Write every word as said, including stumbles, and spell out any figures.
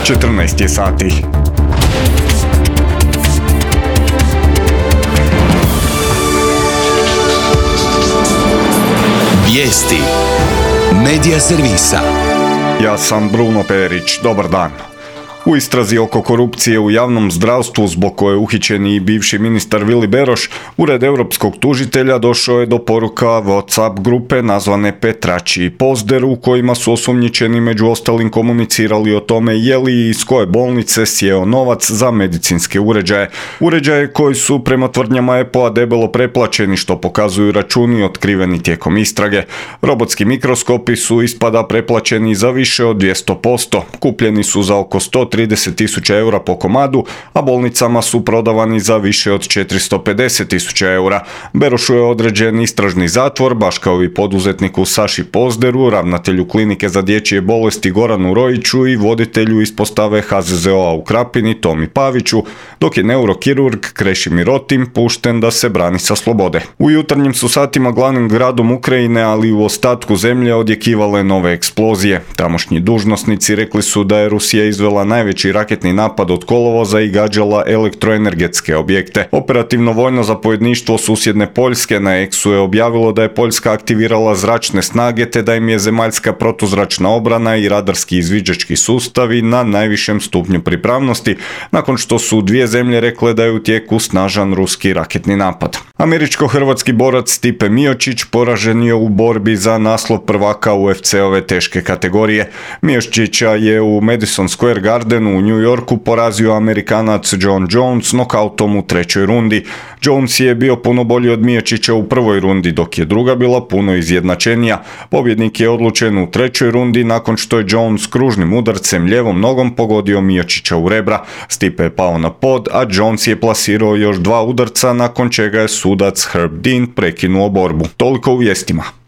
četrnaest je sati. Vijesti Medija servisa. Ja sam Bruno Perić, dobar dan. U istrazi oko korupcije u javnom zdravstvu, zbog koje je uhićen i bivši ministar Vili Beroš, Ured europskog tužitelja došao je do poruka WhatsApp grupe nazvane Petrači i Pozder, u kojima su osumnjičeni među ostalim komunicirali o tome je li i iz koje bolnice sjeo novac za medicinske uređaje. Uređaje koji su prema tvrdnjama E P O-a debelo preplaćeni, što pokazuju računi otkriveni tijekom istrage. Robotski mikroskopi su ispada preplaćeni za više od dvjesto posto. Kupljeni su za oko sto trideset tisuća eura po komadu, a bolnicama su prodavani za više od četiristo pedeset tisuća eura. Berošu je određen istražni zatvor, baš kao i poduzetniku Saši Pozderu, ravnatelju klinike za dječje bolesti Goranu Rojiću i voditelju ispostave H Z Z O-a u Krapini Tomi Paviću, dok je neurokirurg Krešimir Rotim pušten da se brani sa slobode. U jutarnjim su satima glavnim gradom Ukrajine, ali i u ostatku zemlje odjekivale nove eksplozije. Tamošnji dužnosnici rekli su da je Rusija izvela naj najveći raketni napad od kolovoza i gađala elektroenergetske objekte. Operativno vojno zapovjedništvo susjedne Poljske na Eksu je objavilo da je Poljska aktivirala zračne snage te da im je zemaljska protuzračna obrana i radarski izviđački sustavi na najvišem stupnju pripravnosti, nakon što su dvije zemlje rekle da je u tijeku snažan ruski raketni napad. Američko-hrvatski borac Stipe Miocić poražen je u borbi za naslov prvaka U F C-ove teške kategorije. Miocića je u Madison Square Garden u New Yorku porazio Amerikanac John Jones nokautom u trećoj rundi. Jones je bio puno bolji od Miocića u prvoj rundi, dok je druga bila puno izjednačenija. Pobjednik je odlučen u trećoj rundi nakon što je Jones kružnim udarcem ljevom nogom pogodio Miocića u rebra. Stipe je pao na pod, a Jones je plasirao još dva udarca, nakon čega je sudac Herb Dean prekinuo borbu. Toliko u vijestima.